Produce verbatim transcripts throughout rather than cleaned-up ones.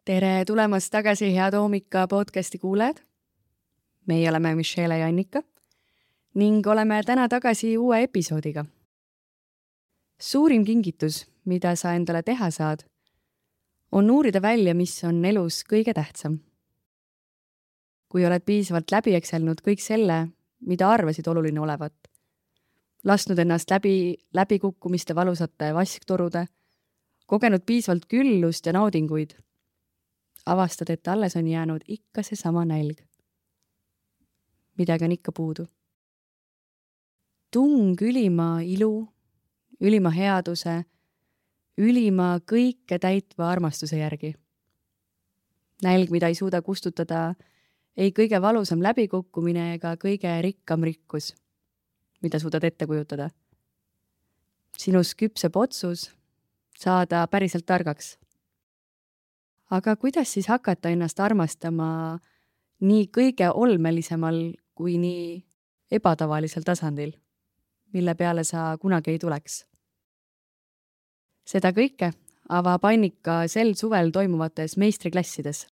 Tere tulemast tagasi Head hommika podcasti kuulajad. Meie oleme Michelle ja Annika ning oleme täna tagasi uue episoodiga. Suurim kingitus, mida sa endale teha saad, on uurida välja, mis on elus kõige tähtsam. Kui oled piisavalt läbi ekselnud kõik selle, mida arvasid oluline olevat, lasknud ennast läbi läbikukkumiste valusate vasktorude, kogenud piisavalt küllust ja naudinguid, avastad, et alles on jäänud ikka see sama nälg. Midagi on ikka puudu. Tung ülima ilu, ülima headuse, ülima kõike täitva armastuse järgi. Nälg, mida ei suuda kustutada ei kõige valusam läbikukkumine ega kõige rikkam rikkus, mida suudad ette kujutada. Sinus küpseb otsus saada päriselt targaks. Aga kuidas siis hakata ennast armastama nii kõige olmelisemal kui nii ebatavalisel tasandil, mille peale sa kunagi ei tuleks? Seda kõike avab Annika sel suvel toimuvates meistriklassides.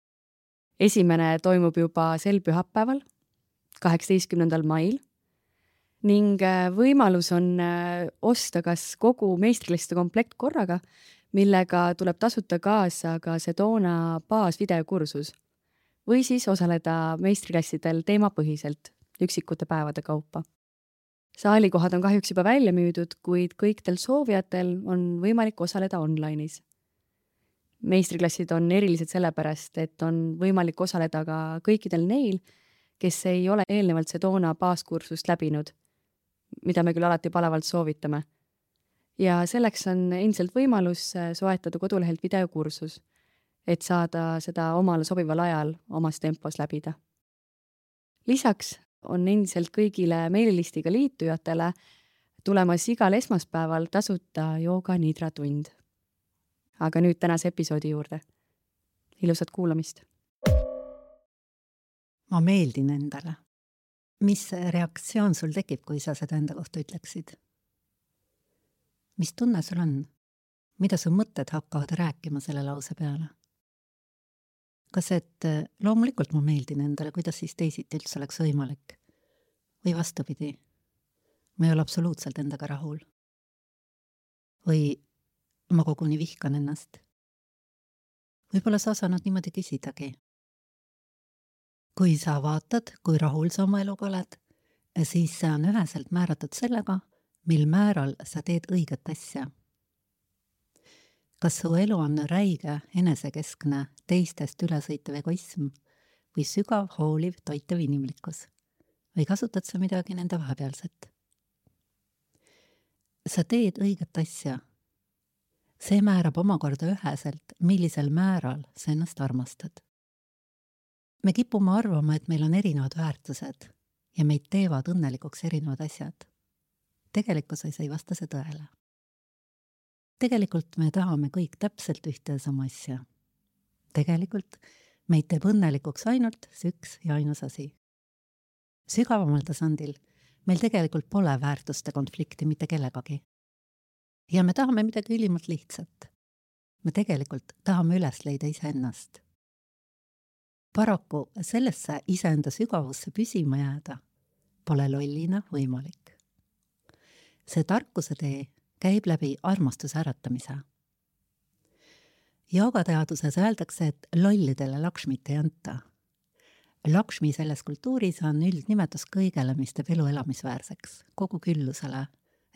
Esimene toimub juba sel pühapäeval, kaheksateistkümnendal mail, ning võimalus on osta kas kogu meistriklasside komplekt korraga, millega tuleb tasuta kaasa ka Sedona baasvideokursus või siis osaleda meistriklassidel teemapõhiselt üksikute päevade kaupa. Saalikohad on kahjuks juba välja müüdud, kuid kõikidel soovijatel on võimalik osaleda online'is. Meistriklassid on erilised sellepärast, et on võimalik osaleda ka kõikidel neil, kes ei ole eelnevalt Sedona baaskursust läbinud, mida me küll alati palavalt soovitame. Ja selleks on endiselt võimalus soetada kodulehelt videokursus, et saada seda omale sobival ajal omas tempos läbida. Lisaks on endiselt kõigile meililistiga liitujatele tulemas igal esmaspäeval tasuta jooga nidra tund. Aga nüüd tänase episoodi juurde. Ilusat kuulamist. Ma meeldin endale. Mis reaktsioon sul tekib, kui sa seda enda kohta ütleksid? Mis tunne sul on? Mida su mõtted hakkavad rääkima selle lause peale? Kas et loomulikult ma meeldin endale, kuidas siis teisiti üldse oleks võimalik? Või vastupidi, ma ei ole absoluutselt endaga rahul. Või ma koguni vihkan ennast. Võib-olla sa osanud niimoodi küsidagi. Kui sa vaatad, kui rahul sa oma eluga oled, siis see on üheselt määratud sellega, mil määral sa teed õiget asja. Kas su elu on räige, enesekeskne, teistest ülesõitev egoism või sügav, hooliv, toitev inimlikkus? Või kasutad sa midagi nende vahepealset? Sa teed õiget asja. See määrab omakorda üheselt, millisel määral sa ennast armastad. Me kipume arvama, et meil on erinevad väärtused ja meid teevad õnnelikuks erinevad asjad. Tegelikkuses ei vasta see tõele. Tegelikult me tahame kõik täpselt ühte ja sama asja. Tegelikult meid teeb õnnelikuks ainult see üks ja ainus asi. Sügavamal tasandil meil tegelikult pole väärtuste konflikti mitte kellegagi. Ja me tahame midagi ülimalt lihtsat. Me tegelikult tahame üles leida iseennast. Paraku sellesse iseenda sügavusse püsima jääda pole lollina võimalik. See tarkuse tee käib läbi armastuse äratamise. Joogateaduses öeldakse, et lollidele Lakshmit ei anta. Lakshmi selles kultuuris on üldnimetus kõigele, mis teeb elu elamisväärseks, kogu küllusele,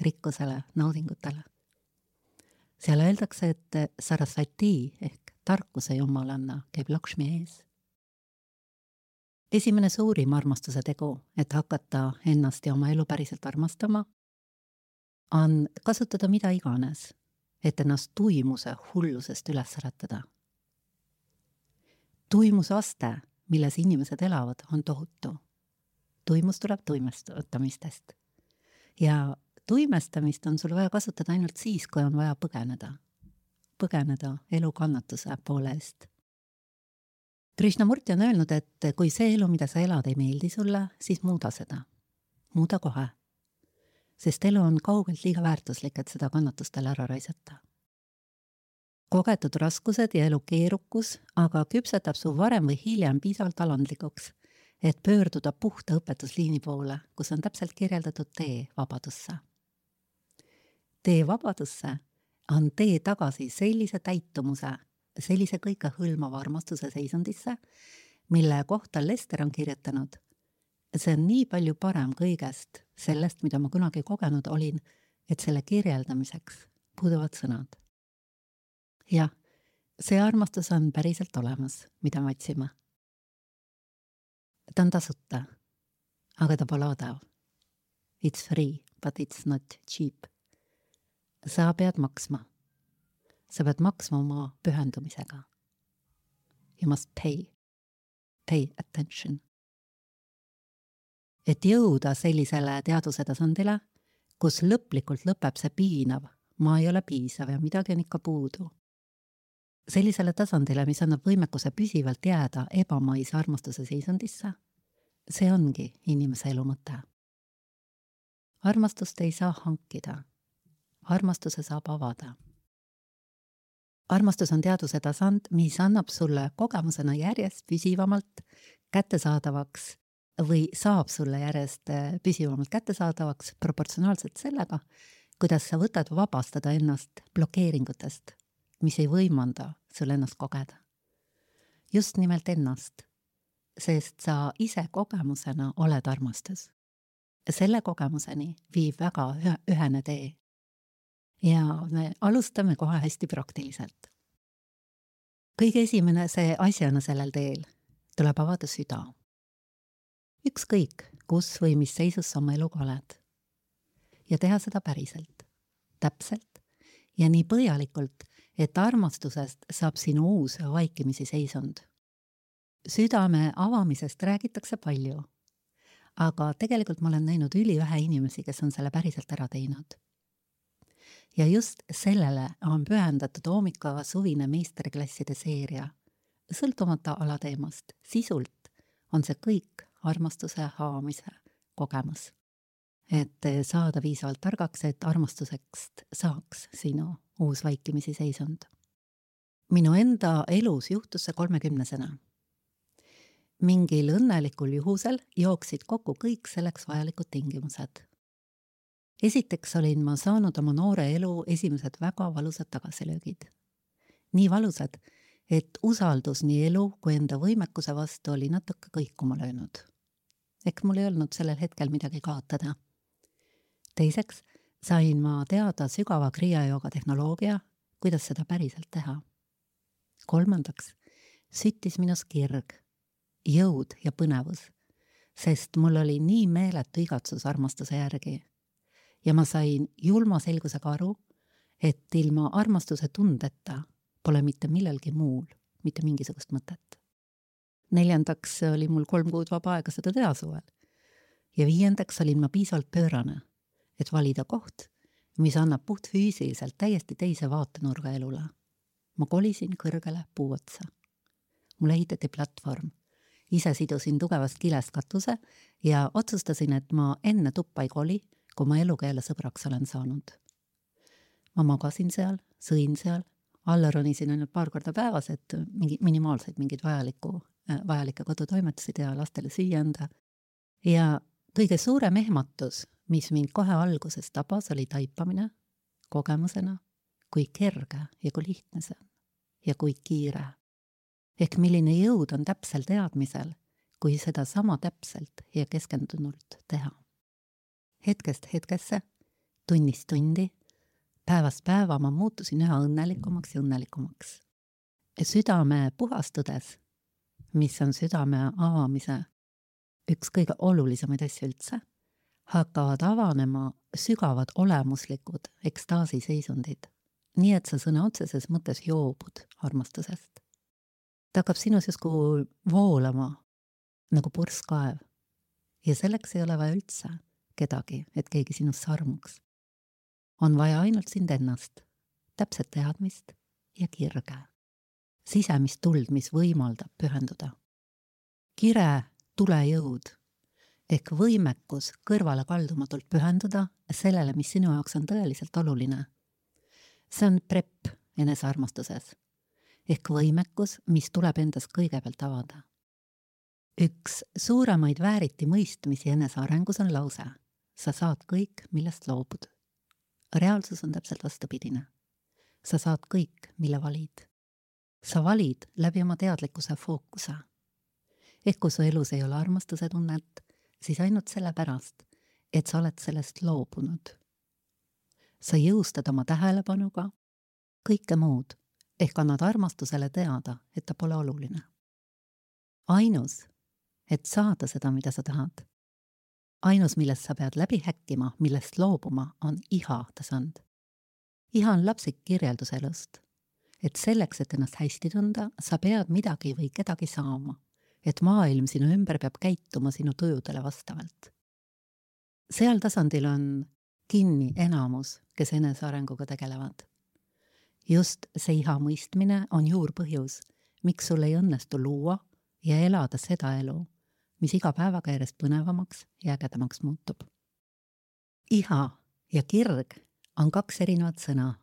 rikkusele, naudingutele. Seal öeldakse, et Sarasvati ehk tarkuse jumalanna käib Lakshmi ees. Esimene suurim armastuse tegu, et hakata ennast ja oma elu päriselt armastama, on kasutada mida iganes, et ennast tuimuse hullusest üles äratada. Tuimuse aste, milles inimesed elavad, on tohutu. Tuimus tuleb tuimestamistest. Ja tuimestamist on sul vaja kasutada ainult siis, kui on vaja põgeneda. Põgeneda elu kannatuse poole eest. Krishnamurti on öelnud, et kui see elu, mida sa elad, ei meeldi sulle, siis muuda seda. Muuda kohe. Sest elu on kaugelt liiga väärtuslik, et seda kannatustele ära raisata. kogetud raskused ja elu keerukus aga küpsetab su varem või hiljem piisavalt alandlikuks, et pöörduda puhta õpetusliini poole, kus on täpselt kirjeldatud tee vabadusse. Tee vabadusse on tee tagasi sellise täitumuse, sellise kõikehõlmava armastuse seisundisse, mille kohta Lester on kirjutanud. See on nii palju parem kõigest sellest, mida ma kunagi kogenud olin, et selle kirjeldamiseks puuduvad sõnad. Jah, see armastus on päriselt olemas, mida me otsime. Ta on tasuta, aga ta pole odav. It's free, but it's not cheap. Sa pead maksma. Sa pead maksma oma pühendumisega. You must pay. Pay attention. Et jõuda sellisele teaduse tasandile, kus lõplikult lõpeb see piinav, ma ei ole piisav ja midagi on ikka puudu. Sellisele tasandile, mis annab võimekuse püsivalt jääda ebamaise armastuse seisundisse, see ongi inimese elu mõte. Armastust ei saa hankida. Armastuse saab avada. Armastus on teaduse tasand, mis annab sulle kogemusena järjest püsivamalt kättesaadavaks või saab sulle järjest püsivamalt kättesaadavaks proportsionaalselt sellega, kuidas sa võtad vabastada ennast blokeeringutest, mis ei võimanda sul ennast kogeda. Just nimelt ennast, sest sa ise kogemusena oled armastus. Selle kogemuseni viib väga ühene tee. Ja me alustame kohe hästi praktiliselt. Kõige esimene see asjana sellel teel tuleb avada süda. Ükskõik, kus või mis seisus sa oma eluga oled. Ja teha seda päriselt, täpselt ja nii põhjalikult, et armastusest saab sinu uus vaikimisi seisund. Südame avamisest räägitakse palju, aga tegelikult ma olen näinud ülivähe inimesi, kes on selle päriselt ära teinud. Ja just sellele on pühendatud Oomikava suvine meistriklasside seeria. Sõltumata alateemast, sisult on see kõik armastuse haamise kogemus. Et saada piisavalt targaks, et armastusest saaks sinu uus vaikimisi seisund. Minu enda elus juhtus see kolmekümnesena. Mingil õnnelikul juhusel jooksid kokku kõik selleks vajalikud tingimused. Esiteks olin ma saanud oma noore elu esimesed väga valusad tagasilöögid. Nii valusad, et usaldus nii elu kui enda võimekuse vastu oli natuke kõikuma löönud. Ehk mul ei olnud sellel hetkel midagi kaotada. Teiseks sain ma teada sügava kriiajooga tehnoloogia, kuidas seda päriselt teha. Kolmandaks süttis minus kirg, jõud ja põnevus, sest mul oli nii meeletu igatsus armastuse järgi. Ja ma sain julma selgusega aru, et ilma armastuse tundeta pole mitte millelgi muul, mitte mingisugust mõtet. Neljandaks oli mul kolm kuud vaba aega seda teha suvel. Ja viiendaks olin ma piisavalt pöörane, et valida koht, mis annab puht füüsiliselt täiesti teise vaatenurga elule. Ma kolisin kõrgele puu otsa. Mul ehitati platvorm. Ise sidusin tugevast kilest katuse ja otsustasin, et ma enne tuppa ei koli, kui ma eluga jälle sõbraks olen saanud. Ma magasin seal, sõin seal, alla ronisin ainult paar korda päevas, et mingi, minimaalseid mingid vajaliku, vajalike kodutoimetusi teha, lastele süüa anda. Ja kõige suurem ehmatus, mis mind kohe alguses tabas, oli taipamine kogemusena, kui kerge ja kui lihtne see on ja kui kiire. Ehk milline jõud on täpsel teadmisel, kui seda sama täpselt ja keskendunult teha. Hetkest hetkesse, tunnist tundi, päevast päeva ma muutusin üha õnnelikumaks ja õnnelikumaks. Südame puhastudes, mis on südame avamise üks kõige olulisemaid asju üldse, hakkavad avanema sügavad olemuslikud ekstaasi seisundid, nii et sa sõna otseses mõttes joobud armastusest. Ta hakkab sinus justkui voolama nagu purskaev ja selleks ei ole vaja üldse kedagi, et keegi sinust sarmuks. On vaja ainult sind ennast, täpset teadmist ja kirge. Sisemist tuld, mis võimaldab pühenduda. Kire tulejõud ehk võimekus kõrvale kaldumatult pühenduda sellele, mis sinu jaoks on tõeliselt oluline. See on prep enesearmastuses ehk võimekus, mis tuleb endas kõigepealt avada. Üks suuremaid vääriti mõistmisi enesearengus on lause: sa saad kõik, millest loobud. Reaalsus on täpselt vastupidine. Sa saad kõik, mille valid. Sa valid läbi oma teadlikkuse fookuse. Ehk kui su elus ei ole armastuse tunnet, siis ainult sellepärast, et sa oled sellest loobunud. Sa jõustad oma tähelepanuga kõike muud, ehk annad armastusele teada, et ta pole oluline. Ainus, et saada seda, mida sa tahad. Ainus, millest sa pead läbi häkkima, millest loobuma, on iha tasand. Iha on lapsik kirjeldus elust. Et selleks, et ennast hästi tunda, sa pead midagi või kedagi saama. Et maailm sinu ümber peab käituma sinu tujudele vastavalt. Seal tasandil on kinni enamus, kes enesearenguga tegelevad. Just see iha mõistmine on juurpõhjus, miks sul ei õnnestu luua ja elada seda elu, mis iga päevaga järjest põnevamaks ja ägedamaks muutub. Iha ja kirg on kaks erinevat sõna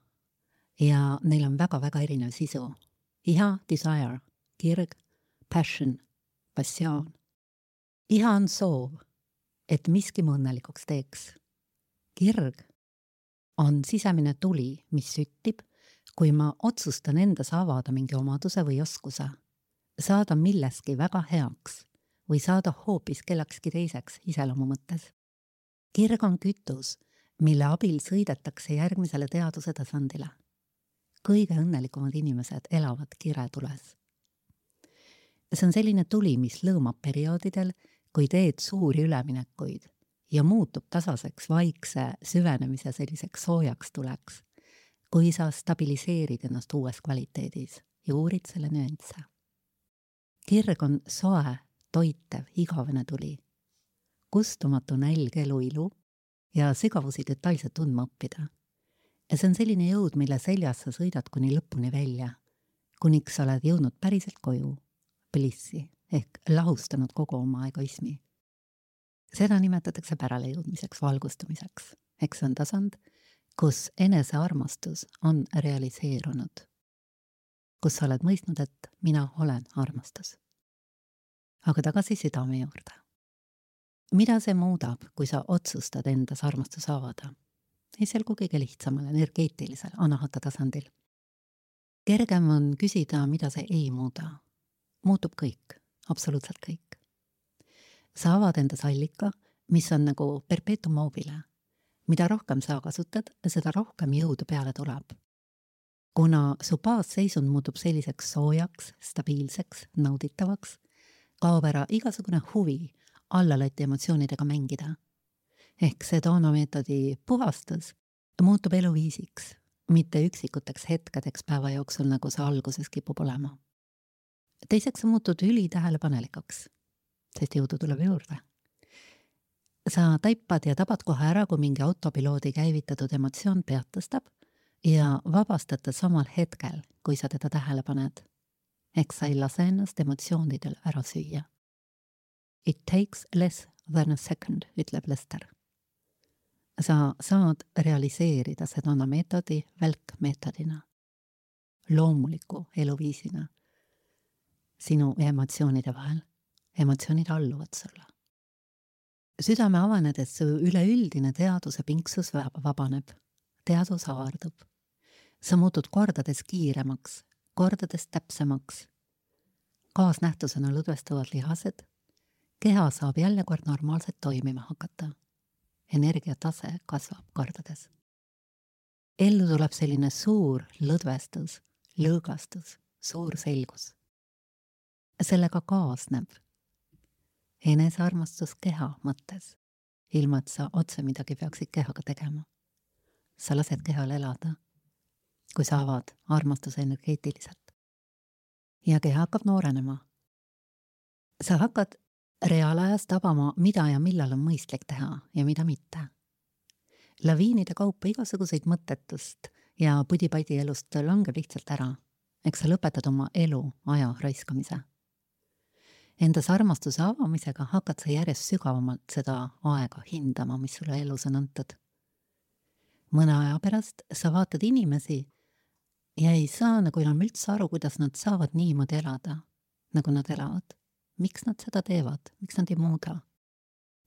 ja neil on väga-väga erinev sisu. Iha, desire, kirg, passion, passioon. Iha on soov, et miski mu õnnelikuks teeks. Kirg on sisemine tuli, mis süttib, kui ma otsustan endas avada mingi omaduse või oskuse, saada milleski väga heaks või saada hoopis kellekski teiseks iseloomu mõttes. Kirg on kütus, mille abil sõidetakse järgmisele teaduse tasandile. Kõige õnnelikumad inimesed elavad kiretules. See on selline tuli, mis lõõmab perioodidel, kui teed suuri üleminekuid ja muutub tasaseks vaikse süvenemise selliseks soojaks tuleks, kui sa stabiliseerid ennast uues kvaliteedis ja uurid selle nüansse. Kirg on soe, toitev, igavene tuli, kustumatu nälg elu ilu ja sügavusi detailselt tundma õppida. Ja see on selline jõud, mille seljas sa sõidad kuni lõpuni välja, kuniks sa oled jõudnud päriselt koju, blissi, ehk lahustanud kogu oma egoismi. Seda nimetatakse pärale jõudmiseks, valgustumiseks, ehk see on tasand, kus enesearmastus on realiseerunud, kus sa oled mõistnud, et mina olen armastus. Aga tagasi südame juurde. Mida see muudab, kui sa otsustad endas armastus avada? Ei selgu kõige lihtsamal, energeetilisel, anahata tasandil. Kergem on küsida, mida see ei muuda. Muutub kõik, absoluutselt kõik. Sa avad endas allika, mis on nagu perpetuum mobile. Mida rohkem sa kasutad, seda rohkem jõudu peale tuleb. Kuna su baasseisund muutub selliseks soojaks, stabiilseks, nauditavaks, kaob ära igasugune huvi allalõti emotsioonidega mängida. Ehk see toonameetodi puhastus muutub eluviisiks, mitte üksikuteks hetkedeks päeva jooksul, nagu see alguses kipub olema. Teiseks sa muutud üli tähelepanelikuks, sest jõudu tuleb juurde. Sa taipad ja tabad kohe ära, kui mingi autopiloodi käivitatud emotsioon pead tõstab ja vabastad ta samal hetkel, kui sa teda tähele paned. Ehk sa ei lase ennast emotsioonidel ära süüa. It takes less than a second, ütleb Lester. Sa saad realiseerida seda meetodi välkmeetodina, loomuliku eluviisina sinu emotsioonide vahel. Emotsioonid alluvad sulle. Südame avanedes su üleüldine teaduse pinksus vabaneb, teadus avardub. Sa muutud kordades kiiremaks, kordades täpsemaks. Kaasnähtusena lõdvestuvad lihased, keha saab jälle kord normaalselt toimima hakata. Energiatase kasvab kordades. Ellu tuleb selline suur lõdvestus, lõõgastus, suur selgus. Sellega kaasneb enesearmastus keha mõttes, ilma et sa otse midagi peaksid kehaga tegema. Sa lased kehal elada, kui sa avad armastuse energeetiliselt. Ja keha hakkab noorenema. Sa hakkad reaalajas tabama, mida ja millal on mõistlik teha ja mida mitte. Laviinide kaupa igasuguseid mõttetust ja pudi-padi elust langeb lihtsalt ära. Eks sa lõpetad oma elu aja raiskamise. Endas armastuse avamisega hakkad sa järjest sügavamalt seda aega hindama, mis sulle elus on antud. Mõne aja pärast sa vaatad inimesi, ja ei saa nagu enam üldse aru, kuidas nad saavad niimoodi elada, nagu nad elavad. Miks nad seda teevad? Miks nad ei muuda?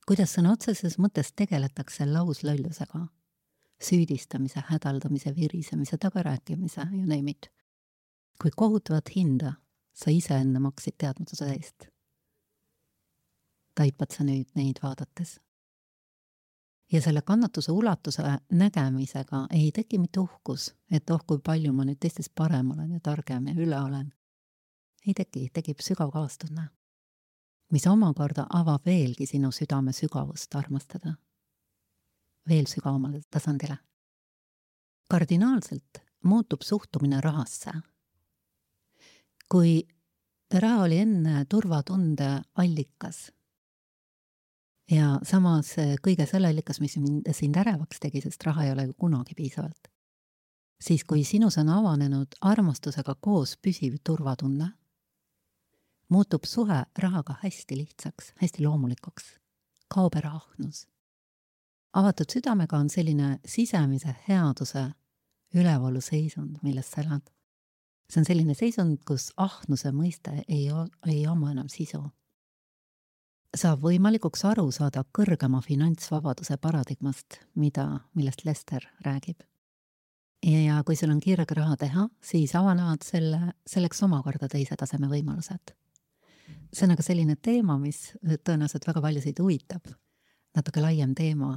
Kuidas sõna otseses mõttes tegeletakse lauslöllusega? Süüdistamise, hädaldamise, virisemise, tagarääkimise ja neemid. Kui kohutavat hinda sa ise enne maksid teadmatuse eest. Taipad sa nüüd neid vaadates. Ja selle kannatuse ulatuse nägemisega ei teki mitte uhkus, et oh, kui palju ma nüüd teistest parem olen ja targem ja üle olen. Ei teki, tekib sügav kaastunne, mis omakorda avab veelgi sinu südame sügavust armastada. Veel sügavamale tasandile. Kardinaalselt muutub suhtumine rahasse. Kui raha oli enne turvatunde allikas ja samas kõige selle allikas, mis sind ärevaks tegi, sest raha ei ole ju kunagi piisavalt, siis kui sinus on avanenud armastusega koos püsiv turvatunne, muutub suhe rahaga hästi lihtsaks, hästi loomulikuks, kaob ära ahnus. Avatud südamega on selline sisemise headuse ülevalu seisund, millest sa elad. See on selline seisund, kus ahnuse mõiste ei, ei oma enam sisu. Saab võimalikuks aru saada kõrgema finantsvabaduse paradigmast, mida, millest Lester räägib. Ja kui sul on kirg raha teha, siis avanevad selle, selleks omakorda teise taseme võimalused. See on aga selline teema, mis tõenäoliselt väga paljusid huvitab. Natuke laiem teema,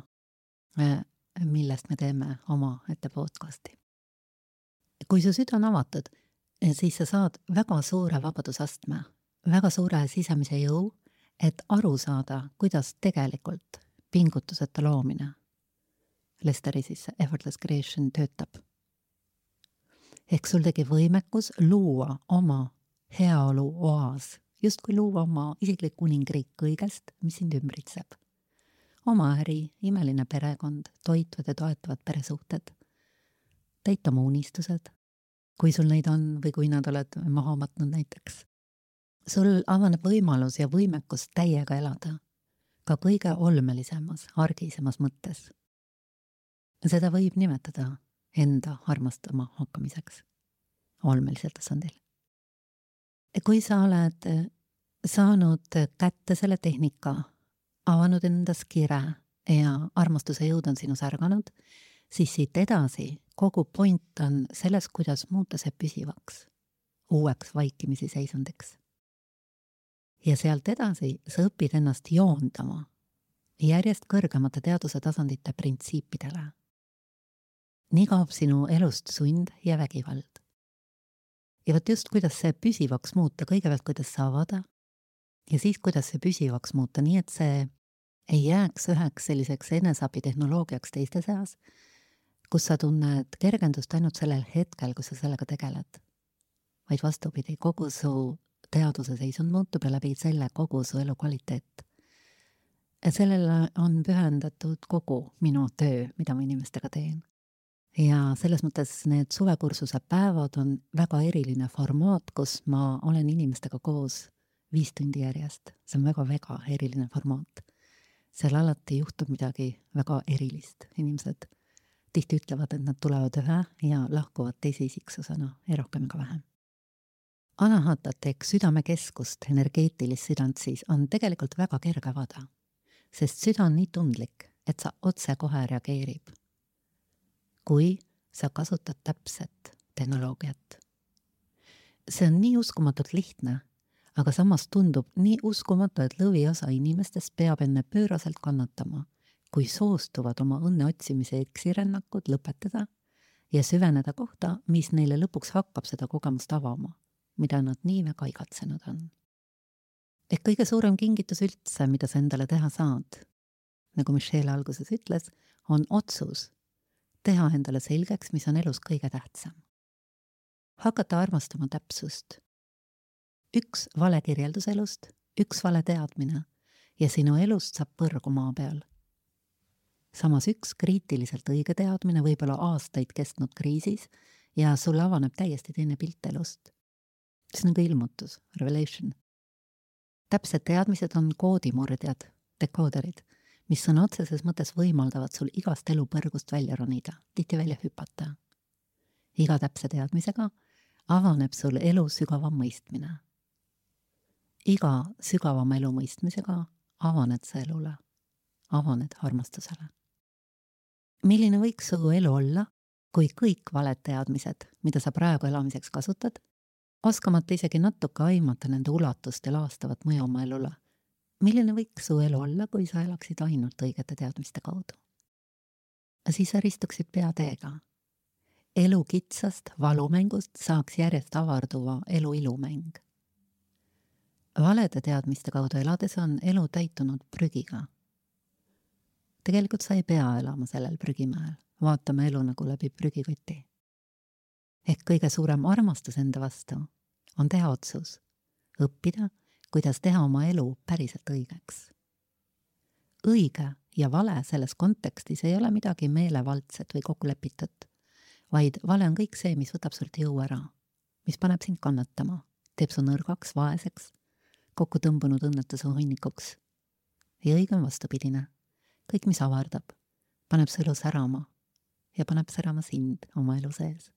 millest me teeme oma ette podcasti. Kui su süda on avatud, siis sa saad väga suure vabadusastme, väga suure sisemise jõu, et aru saada, kuidas tegelikult pingutuseta loomine, Lesteri siis effortless creation töötab. Ehk sul tegi võimekus luua oma heaolu oas, just kui luua oma isiklik kuningriik kõigest, mis sind ümbritseb. Oma äri, imeline perekond, toitvad ja toetavad peresuhted, täita oma unistused, kui sul neid on või kui nad oled maha matnud näiteks. Sul avaneb võimalus ja võimekus täiega elada, ka kõige olmelisemas, argisemas mõttes. Seda võib nimetada enda armastama hakkamiseks, olmelisel tasandil. Kui sa oled saanud kätte selle tehnika, avanud endas kire ja armastuse jõud on sinus ärganud, siis siit edasi kogu point on selles, kuidas muuta see püsivaks, uueks vaikimisi seisundiks. Ja sealt edasi sa õpid ennast joondama järjest kõrgemate teaduse tasandite printsiipidele. Nii kaob sinu elust sund ja vägivald. Ja võt just, kuidas see püsivaks muuta, kõigepealt kuidas sa avada ja siis, kuidas see püsivaks muuta, nii et see ei jääks üheks selliseks enesabitehnoloogiaks teiste seas, kus sa tunned kergendust ainult sellel hetkel, kui sa sellega tegeled. Vaid vastupidi, kogu su teaduse seisund muutub ja läbi selle kogu su elu kvaliteet. Et sellele on pühendatud kogu minu töö, mida ma inimestega teen. Ja selles mõttes need suvekursuse päevad on väga eriline formaat, kus ma olen inimestega koos viis tundi järjest. See on väga-väga eriline formaat. Seal alati juhtub midagi väga erilist. Inimesed tihti ütlevad, et nad tulevad ühe ja lahkuvad teise isiksusena ja rohkem ka vähem. Anahatat ehk südamekeskust, energeetilist südant siis, on tegelikult väga kerge avada, sest süda on nii tundlik, et sa otse kohe reageerib, kui sa kasutad täpset tehnoloogiat. See on nii uskumatult lihtne, aga samas tundub nii uskumatu, et lõviosa inimestest peab enne pööraselt kannatama, kui soostuvad oma õnne otsimise eksirännakud lõpetada ja süveneda kohta, mis neile lõpuks hakkab seda kogemust avama, mida nad nii väga igatsenud on. Ehk kõige suurem kingitus üldse, mida sa endale teha saad, nagu Michelle alguses ütles, on otsus teha endale selgeks, mis on elus kõige tähtsam. Hakata armastama täpsust. Üks vale kirjeldus elust, üks vale teadmine ja sinu elust saab põrgu maa peal. Samas üks kriitiliselt õige teadmine võib olla aastaid kestnud kriisis ja sulle avaneb täiesti teine pilt elust. See on ka ilmutus, revelation. Täpsed teadmised on koodimurdjad, dekooderid, mis sõna otseses mõttes võimaldavad sul igast elupõrgust välja ronida, tihti välja hüpata. iga täpse teadmisega avaneb sul elu sügavam mõistmine. Iga sügavama elu mõistmisega avaned sa elule, avaned armastusele. Milline võiks su elu olla, kui kõik valed teadmised, mida sa praegu elamiseks kasutad, oskamata isegi natuke aimata nende ulatust ja laastavat mõju oma elule? Milline võiks su elu olla, kui sa elaksid ainult õigete teadmiste kaudu? Siis sa ristuksid peateega. Elu kitsast valumängust saaks järjest avarduva elu ilumäng. Valede teadmiste kaudu elades on elu täitunud prügiga. Tegelikult sa ei pea elama sellel prügimäel, vaatama elu nagu läbi prügikoti. Ehk kõige suurem armastus enda vastu on teha otsus, õppida, kuidas teha oma elu päriselt õigeks. Õige ja vale selles kontekstis ei ole midagi meelevaldset või kokkulepitut, vaid vale on kõik see, mis võtab sult jõu ära, mis paneb sind kannatama, teeb su nõrgaks, vaeseks, kokku tõmbunud õnnetuse hunnikuks. Ja õige on vastupidine. Kõik, mis avardab, paneb su elu särama ja paneb särama sind oma elu sees.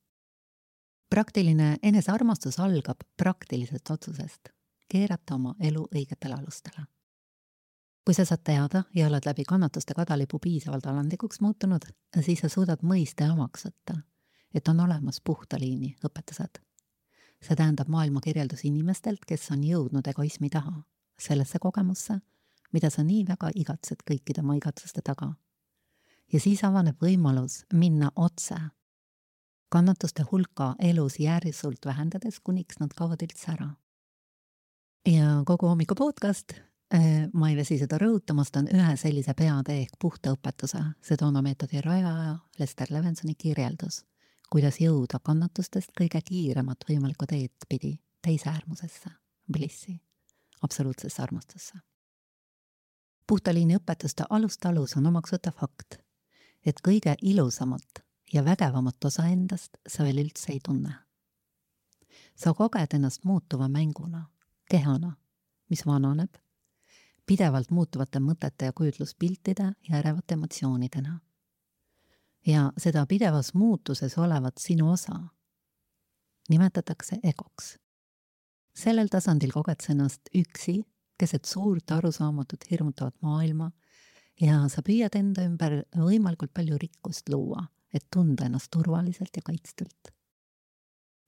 Praktiline enesearmastus algab praktilisest otsusest, keerata oma elu õigetele alustele. Kui sa saad teada ja oled läbi kannatuste kadalipu piisavalt alandlikuks muutunud, siis sa suudad mõista ja omaks võtta, et on olemas puhta liini õpetused. See tähendab maailma kirjeldus inimestelt, kes on jõudnud egoismi taha, sellesse kogemusse, mida sa nii väga igatsed kõikide oma igatsuste taga. Ja siis avaneb võimalus minna otse, kannatuste hulka elus järsult vähendades, kuniks nad kaovad üldse ära. Ja kogu hommiku podcast, ma ei väsi seda rõhutamast, on ühe sellise peatee ehk puhta õpetuse, Sedona meetodi rajaja Lester Levensoni kirjeldus, kuidas jõuda kannatustest kõige kiiremat võimalikku teed pidi teise äärmusesse, blissi, absoluutsesse armastusse. Puhtaliini õpetuste alust-alus on omaks võtta fakt, et kõige ilusamat ja vägevamat osa endast sa veel üldse ei tunne. Sa koged ennast muutuva mänguna, kehana, mis vananeb, pidevalt muutuvate mõtete ja kujutluspiltide ja ärevate emotsioonidena. Ja seda pidevas muutuses olevat sinu osa nimetatakse egoks. Sellel tasandil koged sa ennast üksi, keset suurt arusaamatut hirmutavat maailma ja sa püüad enda ümber võimalikult palju rikkust luua, et tunda ennast turvaliselt ja kaitstult.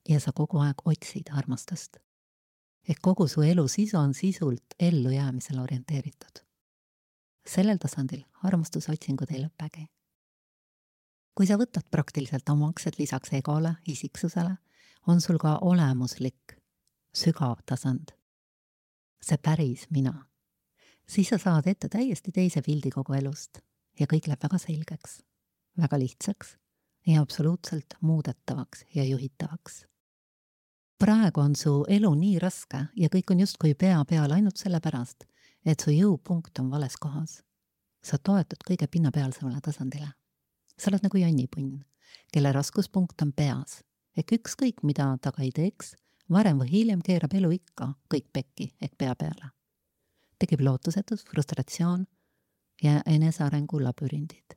Ja sa kogu aeg otsid armastust. Ehk kogu su elu sisu on sisult ellu jäämisel orienteeritud. Sellel tasandil armastusotsingud ei lõpegi. Kui sa võtad praktiliselt omaks, et lisaks egole, isiksusele, on sul ka olemuslik, sügav tasand. See päris mina. Siis sa saad ette täiesti teise pildi kogu elust ja kõik läheb väga selgeks, väga lihtsaks ja absoluutselt muudetavaks ja juhitavaks. Praegu on su elu nii raske ja kõik on justkui pea peal ainult sellepärast, et su jõupunkt on vales kohas. Sa toetud kõige pinnapealsemale tasandile. Sa oled nagu jannipunn, kelle raskuspunkt on peas, ehk ükskõik mida ta ka ei teeks, varem või hiljem keerab elu ikka kõik pekki ehk pea peale. Tekib lootusetus, frustratsioon ja enesearengu labürindid.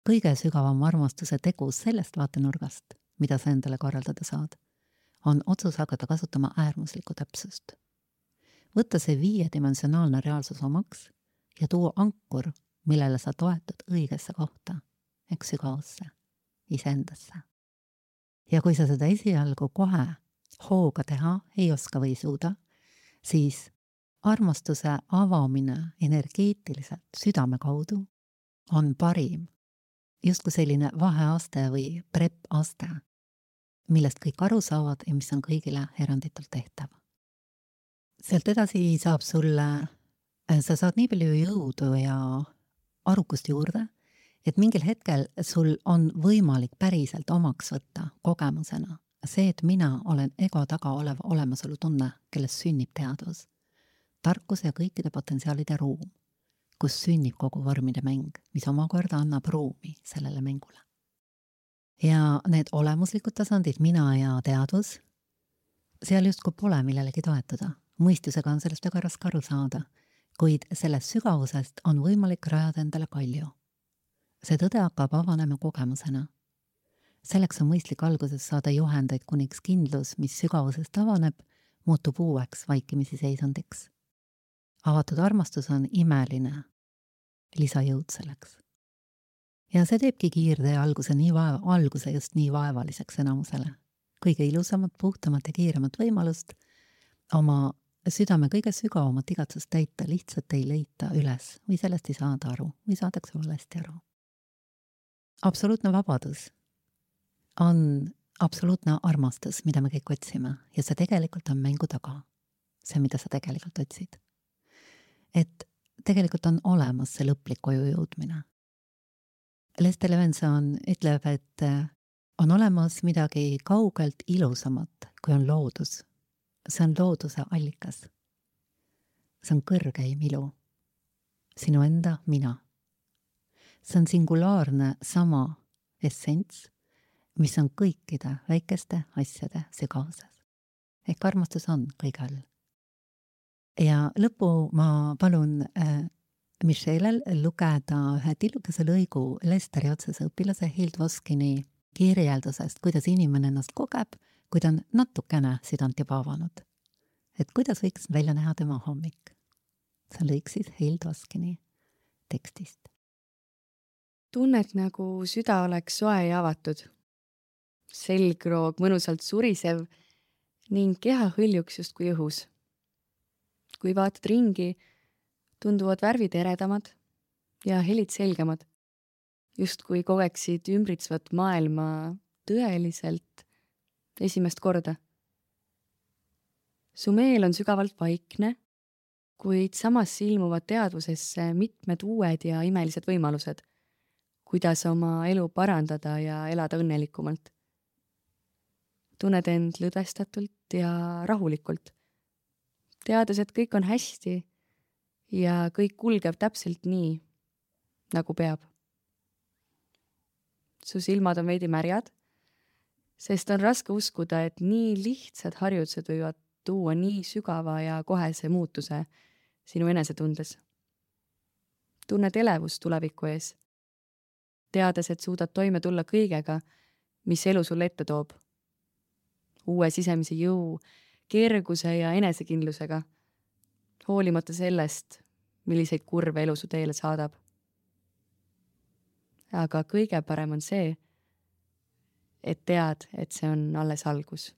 Kõige sügavam armastuse tegus sellest vaatenurgast, mida sa endale korraldada saad, on otsus hakata kasutama äärmuslikku täpsust. Võtta see viiedimensionaalne reaalsus omaks ja tuua ankur, millele sa toetud õigesse kohta, ehk sügavusse, iseendasse. Ja kui sa seda esialgu kohe hooga teha ei oska või suuda, siis armastuse avamine energeetiliselt südame kaudu on parim, justkui selline vaheaste või prep-aste, millest kõik aru saavad ja mis on kõigile eranditult tehtav. Sealt edasi saab sulle, sa saad nii palju jõudu ja arukust juurde, et mingil hetkel sul on võimalik päriselt omaks võtta kogemusena see, et mina olen ego taga olev olemasolu tunne, kellest sünnib teadvus, tarkuse ja kõikide potentsiaalide ruum, kus sünnib kogu vormide mäng, mis omakorda annab ruumi sellele mängule. Ja need olemuslikud tasandid, mina ja teadvus, seal justkui pole millelegi toetuda. Mõistusega on sellest väga raske aru saada, kuid sellest sügavusest on võimalik rajada endale kalju. See tõde hakkab avanema kogemusena. selleks on mõistlik alguses saada juhendeid, kuniks kindlus, mis sügavusest avaneb, muutub uueks vaikimisi seisundiks. Avatud armastus on imeline lisajõud selleks. Ja see teebki kiirtee alguse, nii vaeva, alguse just nii vaevaliseks enamusele. Kõige ilusamat, puhtamat ja kiiremat võimalust oma südame kõige sügavamat igatsust täita lihtsalt ei leita üles või sellest ei saada aru või saadakse valesti aru. Absoluutne vabadus on absoluutne armastus, mida me kõik otsime ja see tegelikult on mängu taga. See, mida sa tegelikult otsid. Et tegelikult on olemas see lõplik koju jõudmine. Lester Levinson ütleb, et on olemas midagi kaugelt ilusamat, kui on loodus. See on looduse allikas. See on kõrgeim ilu. Sinu enda mina. See on singulaarne sama essents, mis on kõikide väikeste asjade segases. Ehk armastus on kõige all. Ja lõpu ma palun äh, Michelel lugeda ühe tillukese lõigu Lesteri otsese õpilase Hild Voskini kirjeldusest, kuidas inimene ennast kogeb, kui ta on natukene südant juba avanud. Et kuidas võiks välja näha tema hommik. See lõik siis Hild Voskini tekstist. Tunnet nagu süda oleks soe ja avatud. Selgroog mõnusalt surisev ning keha hõljuks justkui õhus. Kui vaatad ringi, tunduvad värvid eredamad ja helid selgemad, justkui kogeksid ümbritsvat maailma tõeliselt esimest korda. Su meel on sügavalt vaikne, kuid samas ilmuvad teadvusesse mitmed uued ja imelised võimalused, kuidas oma elu parandada ja elada õnnelikumalt. Tunned end lõdvestatult ja rahulikult, teades, et kõik on hästi ja kõik kulgeb täpselt nii, nagu peab. Su silmad on veidi märjad, sest on raske uskuda, et nii lihtsad harjutused võivad tuua nii sügava ja kohese muutuse sinu enesetundes. Tunned elevust tuleviku ees, teades, et suudad toime tulla kõigega, mis elu sulle ette toob. Uue sisemise jõu, kerguse ja enesekindlusega, hoolimata sellest, milliseid kurve elu su teele saadab. Aga kõige parem on see, et tead, et see on alles algus.